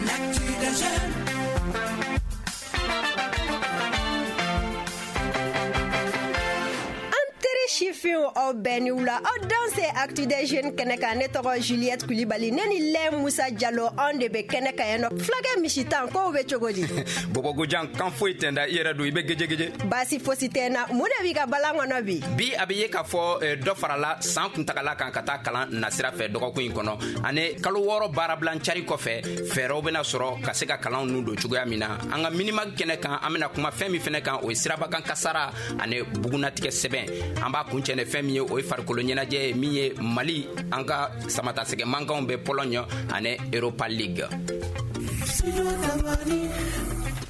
L'actu des jeunes. Sifinw, aw bɛɛ ni wula, aw danse Actu des jeunes kɛnɛ kan. Ne tɔgɔ Juliette Kulibali, ne ni lɛ Musa Jalo, anw de bɛ kɛnɛ kan yan nɔ. Fulakɛ misitan, kow bɛ cogo di? Bɔbɔgojan kan foyi tɛ n da, i yɛrɛ don, i bɛ gejegeje? Baasi fosi tɛ n na. Mun de b'i ka balan kɔnɔ bi? Bi, a bɛ ye k'a fɔ dɔ farala san kuntagala kan ka taa kalan nasira fɛ dɔgɔkun in kɔnɔ, ani kalo 6 baarabilan cari kɔfɛ, fɛɛrɛw bɛna sɔrɔ ka se ka kalanw nu don cogoya min na. An ka Minimag kɛnɛ kan, an bɛna kuma fɛn min fɛnɛ kan, o ye sirabakan kasara ani bugunatigɛ sɛbɛn. An b'a kuncɛ ni fɛn min ye, o ye farikolo ɲɛnajɛ ye, min ye Mali an ka samatasɛgɛ mankanw bɛ Pologne ani Europa League.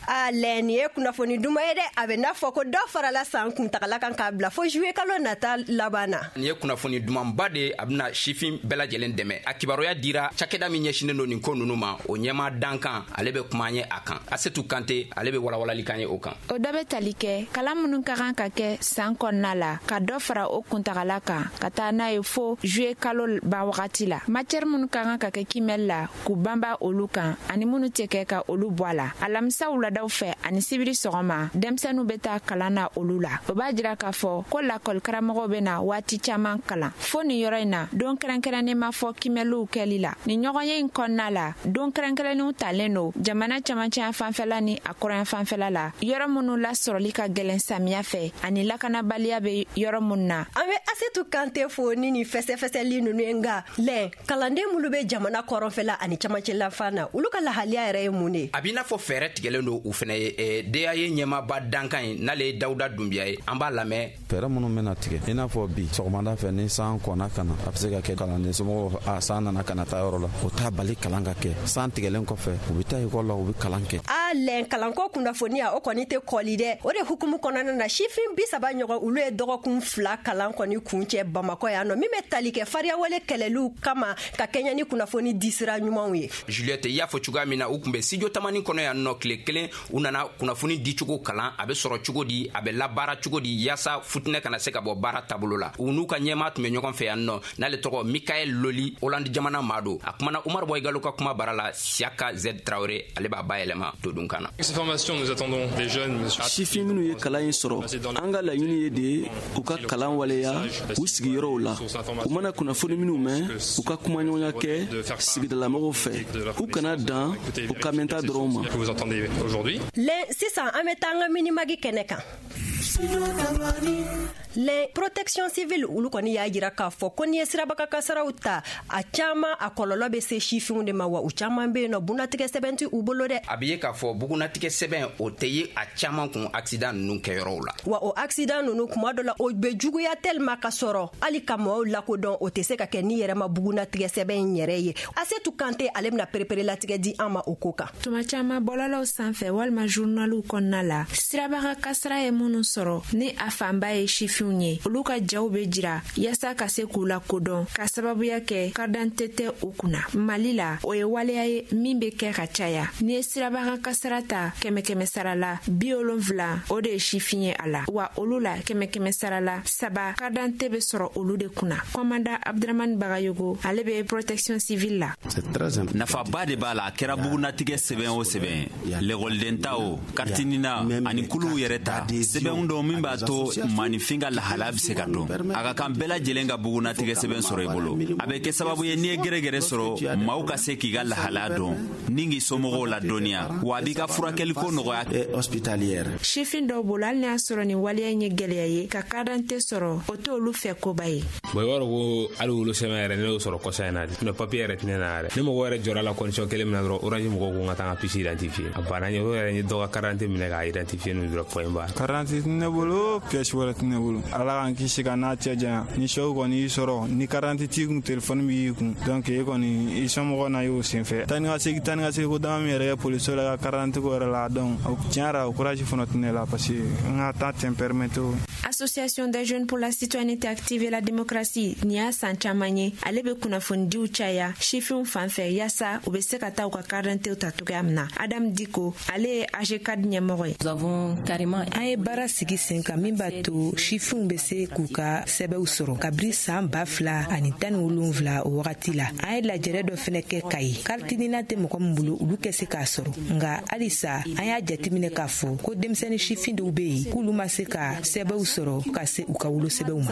A lɛ, nin ye kunnafoni duman ye dɛ. A bɛ n'a fɔ ko dɔ farala san kuntagala kan k'a bila fo juillet kalo nata laban na. Nin ye kunnafoni dumanba de ye, a bɛna sifin bɛɛ lajɛlen dɛmɛ. A kibaruya dira cakɛda min ɲɛsinnen don nin ko ninnu ma, o ɲɛma dankan, ale bɛ kuma an ye a kan. Asetu Kante, ale bɛ walawalali kan ye o kan. O dɔ bɛ tali kɛ kalan minnu ka kan ka kɛ san kɔnɔna la, ka dɔ fara o kuntagala kan ka taa n'a ye fo juillet kalo ban wagati la. Matière minnu ka kan ka kɛ kimɛli la, k'u banba olu kan, ani minnu tɛ kɛ, ka olu bɔ a la. Alamisa wuladaw fɛ ani sibiri sɔgɔma, denmisɛnninw bɛ taa kalan na olu la. O b'a jira k'a fɔ ko lakɔli karamɔgɔw bɛ na waati caman kalan fo nin yɔrɔ in na. Don kɛrɛnkɛrɛnnen ma fɔ kimɛliw kɛli la nin ɲɔgɔnye in kɔnɔna la. Don kɛrɛnkɛrɛnnenw talen don jamana camancɛya fanfɛla ni a kɔrɔya fanfɛla la, yɔrɔ minnu lasɔrɔli ka gɛlɛn samiya fɛ ani lakanabaliya bɛ yɔrɔ minnu na. An bɛ Asetu Kante fo ni nin fɛsɛfɛsɛli ninnu ye. Nka lɛn, kalanden minnu bɛ jamana kɔrɔnfɛla ani camancɛlafan na, olu ka lahaliya yɛrɛ ye mun de ye? A b'i n'a fɔ fɛɛrɛ tigɛlen don u fɛnɛ ye. DAE ɲɛmaaba dankan ye, n'ale ye Dawuda Dunbiya ye, an b'a lamɛn. Fɛɛrɛ minnu bɛna tigɛ, i n'a fɔ bi sɔgɔmada fɛ, ni san kɔnna ka na, a bɛ se ka kɛ kalanden somɔgɔw a san nana ka na taa yɔrɔ la, o t'a bali kalan ka kɛ. San tigɛlen kɔfɛ, u bɛ taa ekɔli la, u bɛ kalan kɛ. A lɛn, kalanko kunnafoniya, o kɔni tɛ kɔli dɛ. O de hukumu kɔnɔna na, sifin 30 ɲɔgɔn, olu ye dɔgɔkun 2 kalan kɔni kuncɛ Bamakɔ yan nɔ, min bɛ tali kɛ fariyawale kɛlɛliw kama ka kɛɲɛ ni kunnafoni disira ɲumanw ye. Juliette, i y'a fɔ cogoya min na, u tun bɛ studio Tamani kɔnɔ yan nɔ tile kelen. U nana kunnafoni dicogo kalan, a bɛ sɔrɔ cogo di, a bɛ labaara cogo di, yaasa futinɛ kana se ka bɔ baara taabolo la. U n'u ka ɲɛmaa tun bɛ ɲɔgɔn fɛ yan nɔ, n'ale tɔgɔ Mikael Loli, Hollande jamana maa don. A kumana Umaru Bɔyigalo ka kuma bara la. Siaka Z Traoré, ale b'a bayɛlɛma todunkan na. Sifin minnu ye kalan in sɔrɔ, an ka laɲini ye de u ka kalan waleya u sigiyɔrɔw la. U mana kunnafoni minnu mɛn, u ka kumaɲɔgɔnya kɛ sigidalamɔgɔw fɛ, u kana dan u ka mɛnta dɔrɔn ma. Lɛn, sisan an bɛ taa an ka Minimag kɛnɛ kan. Lɛn, protection civile, olu kɔni y'a jira k'a fɔ ko n'i ye sirabaga kasaraw ta, a caman a kɔlɔlɔ bɛ se sifinw de ma, wa u caman bɛ yen nɔ, bunatigɛ sɛbɛn tɛ u bolo dɛ. A bɛ ye k'a fɔ bugunatigɛ sɛbɛn, o tɛ ye a caman kun accident ninnu kɛyɔrɔw la. Wa o accident ninnu, kuma dɔ la, o bɛ juguya tellement ka sɔrɔ hali ka mɔgɔw lakodɔn, o tɛ se ka kɛ n'i yɛrɛ ma bugunatigɛ sɛbɛn in yɛrɛ ye. Asetu Kante, ale bɛna perepere latigɛ di an ma o ko kan. Tuma caman, bɔlɔlɔw sanfɛ walima journaliw kɔnɔna la, sirabaga kasara ye minnu sɔrɔ, ni a fanba ye sifinw ye, olu ka jaw be jira yaasa ka se k'u lakodɔn, ka sababuya kɛ karidante tɛ u kunna. Mali la, o ye waleya ye min be kɛ ka caya. N'i ye sirabaga kasara ta, kɛmɛ kɛmɛ sara la, 70, o de ye sifin ye a la, wa olu la, kɛmɛ kɛmɛ sara la, 3, karidante be sɔrɔ olu de kunna. Kɔmanda Abdramani Bagayogo, ale be protection civile la. Nafaba de b'a la. A kɛra bugunatigɛ sɛbɛn o sɛbɛn, lɛkɔliden ta o, carte NINA ani kuluw yɛrɛ ta, sɛbɛnw dɔw min b'a to maaninfin ka lahalaya bɛ se ka dɔn. A ka kan bɛɛ lajɛlen ka bugunatigɛ sɛbɛn sɔrɔ i bolo. A bɛ kɛ sababu ye, n'i ye gɛrɛgɛrɛ sɔrɔ, maaw ka se k'i ka lahalaya dɔn ni k'i somɔgɔw ladɔnniya, wa a b'i ka furakɛliko nɔgɔya. Sifin dɔw bolo, hali n'a y'a sɔrɔ nin waleya in ye gwɛlɛya ye, ka karidante sɔrɔ, o t'olu fɛ koba ye. Bon, i b'a dɔn ko hali wolosɛbɛn yɛrɛ, ne y'o sɔrɔ kɔsa in na de. Papier yɛrɛ tɛ ne na yɛrɛ. Ne mɔgɔ yɛrɛ jɔra la condition kelen min na dɔrɔn, Orange mɔgɔw ko n ka taa n ka puce identifier. A banna n ye. O yɛrɛ, n ye dɔ ka carte d'identité minɛ k'a identifier n'u dɔrɔn, point barre. Carte d'identité tɛ ne bolo, pièce wɛrɛ tɛ ne bolo. Ala k'an kisi ka n'a cɛ janya, ni choc kɔni y'i sɔrɔ, ni carte d'identité t'i kun, téléphone b'i kun, donc e kɔni, i somɔgɔw na y'o senfɛ. Taa ni ka segin, taa ni ka segin ko dama min yɛrɛ kɛ poliso la ka carte d'identité ko yɛrɛ la, donc tiɲɛ yɛrɛ, o courage fana tɛ ne la, parce que n ka temps tɛ n permettre. Association des jeunes pour la citoyenneté active et la démocratie, nin y'a san caman ye, ale bɛ kunnafonidiw caya sifinw fan fɛ yaasa u bɛ se ka taa u ka carte d'identité ta cogoya min na. Adam Diko, ale ye AGCAD ɲɛmɔgɔ ye. An ye baara sigi sen kan min b'a to sifinw bɛ se k'u ka sɛbɛnw sɔrɔ kabiri san 2017. O wagati la, an ye lajɛrɛ dɔ fɛnɛ kɛ Kayi. Carte NINA tɛ mɔgɔ min bolo, olu kɛ se k'a sɔrɔ. Nka halisa an y'a jateminɛ k'a fɔ ko denmisɛnnin sifin dɔw bɛ yen k'olu ma se ka sɛbɛnw sɔrɔ ka se u ka wolosɛbɛnw ma.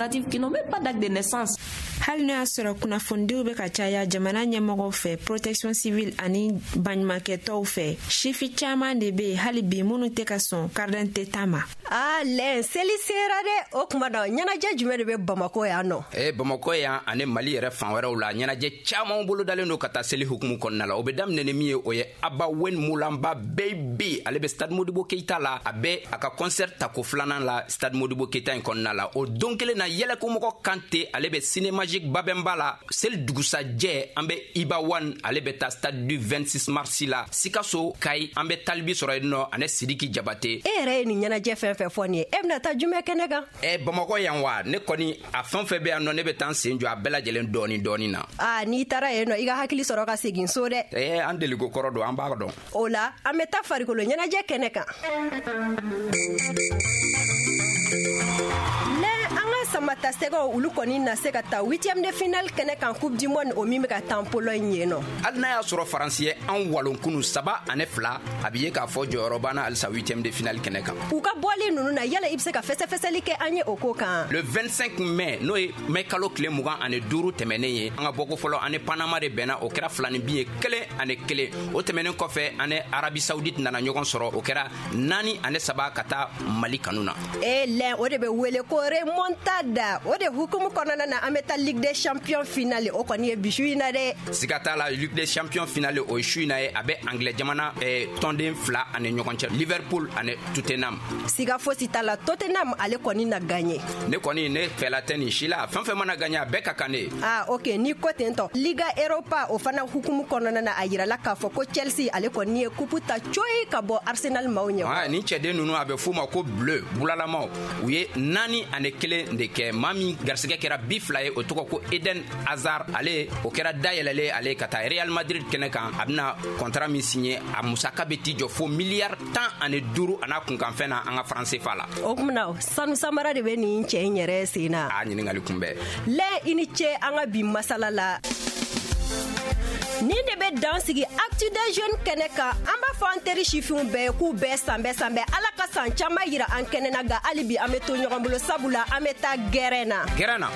Hali n'o y'a sɔrɔ kunnafonidiw bɛ ka caya jamana ɲɛmɔgɔw fɛ, protection civile ani baɲumankɛtɔw fɛ, sifi caman de bɛ yen hali bi minnu tɛ ka sɔn carte d'identité ta ma. Aa lɛn, seli sera dɛ. O kuma na, ɲɛnajɛ jumɛn de bɛ Bamako yan nɔ? Ee, Bamakɔ yan ani Mali yɛrɛ fan wɛrɛw la, ɲɛnajɛ caman bolodalen don ka taa seli hukumu kɔnɔna la. O bɛ daminɛ ni min ye, o ye Aba Wen Mulamba Baby. Ale bɛ Stade Modibo Keita la, a bɛ a ka concert tako filanan la Stade Modibo Keita in kɔnɔna la. O don kelen na, Yɛlɛkomɔgɔ Kante, ale bɛ Ciné Magique Babɛnba la. Seli dugusajɛ, an bɛ Iba One, ale bɛ taa Stade du 26 mars la Sikaso. Kayi, an bɛ Talibi sɔrɔ yen nɔ ani Sidiki Jabate. E yɛrɛ ye nin ɲɛnajɛ fɛn fɛn fɔ nin ye, e bɛna taa jumɛn kɛnɛ kan? Ɛ, Bamakɔ yan wa? Ne kɔni, a fɛn fɛn bɛ yan nɔ, ne bɛ taa n sen jɔ a bɛɛ lajɛlen dɔɔni dɔɔni na. Aa, n'i taara yen nɔ, i ka hakili sɔrɔ ka segin so dɛ. Ɛɛ, an deliko kɔrɔ don, an b'a dɔn. O la, an bɛ taa farikolo ɲɛnajɛ kɛnɛ kan. An ka samata sɛgɛw, olu kɔni na se ka taa huitième de finale kɛnɛ kan, Coupe du monde o min bɛ ka tan Pologne yen nɔ. Hali n'a y'a sɔrɔ Faransi ye an walon kunu 3-2, a bɛ ye k'a fɔ jɔyɔrɔ banna halisa huitième de finale kɛnɛ kan. U ka bɔli ninnu na, yala i bɛ se ka fɛsɛfɛsɛli kɛ an ye o ko kan? Le 25 mai, n'o ye mai kalo tile 25 tɛmɛnen ye, an ka bɔko fɔlɔ, ani Panama de bɛnna, o kɛra filani bin ye, 1-1. O tɛmɛnen kɔfɛ, ani Arabie Saoudite nana ɲɔgɔn sɔrɔ, o kɛra 4-3 ka taa Mali kanu na. E lɛn, o de bɛ wele ko remontada. O de hukumu kɔnɔna na, an bɛ taa Ligue des champions finale, o kɔni ye bi su in na dɛ. Siga t'a la, Ligue des champions finale, o ye su in na ye. A bɛ Anglais jamana tɔnden fila ani ɲɔgɔn cɛ, Liverpool ani Tottenham. Siga fosi t'a la, Tottenham ale kɔni na gagné. Ne kɔni, ne fɛla tɛ nin si la. Fɛn fɛn mana gagné, a bɛɛ ka kan ne ye. Ah ok, n'i ko ten tɔ. Liga Europa, o fana hukumu kɔnɔna na, a yirala k'a fɔ ko Chelsea, ale kɔni ye coupe ta coyi ka bɔ Arsenal maaw ɲɛ. Ah, nin cɛden ninnu, a bɛ f'u ma ko bleu bulalamaw. U ye 4-1 de kɛ. Maa min garisɛgɛ kɛra bi fila ye, o tɔgɔ ko Eden Hazard. Ale, o kɛra dayɛlɛlen ale ka taa Real Madrid kɛnɛ kan. A bɛna contrat min signé, a musaka bɛ t'i jɔ fo miliyari 15 a n'a kunkanfɛn na an ka franc CFA la. O kumana, sanu samara de bɛ nin cɛ in yɛrɛ sen na. A ɲininkali kunbɛn. Lɛ, i ni ce an ka bi masala la. Nin de bɛ dan sigi Actu des jeunes kɛnɛ kan. An b'a fɔ an teri sifinw bɛɛ ye k'u bɛɛ sanbɛ sanbɛ, Ala ka san caman yira an kɛnɛ na. Nka hali bi, an bɛ to ɲɔgɔn bolo, sabula an bɛ taa gɛrɛn na. Gɛrɛn na.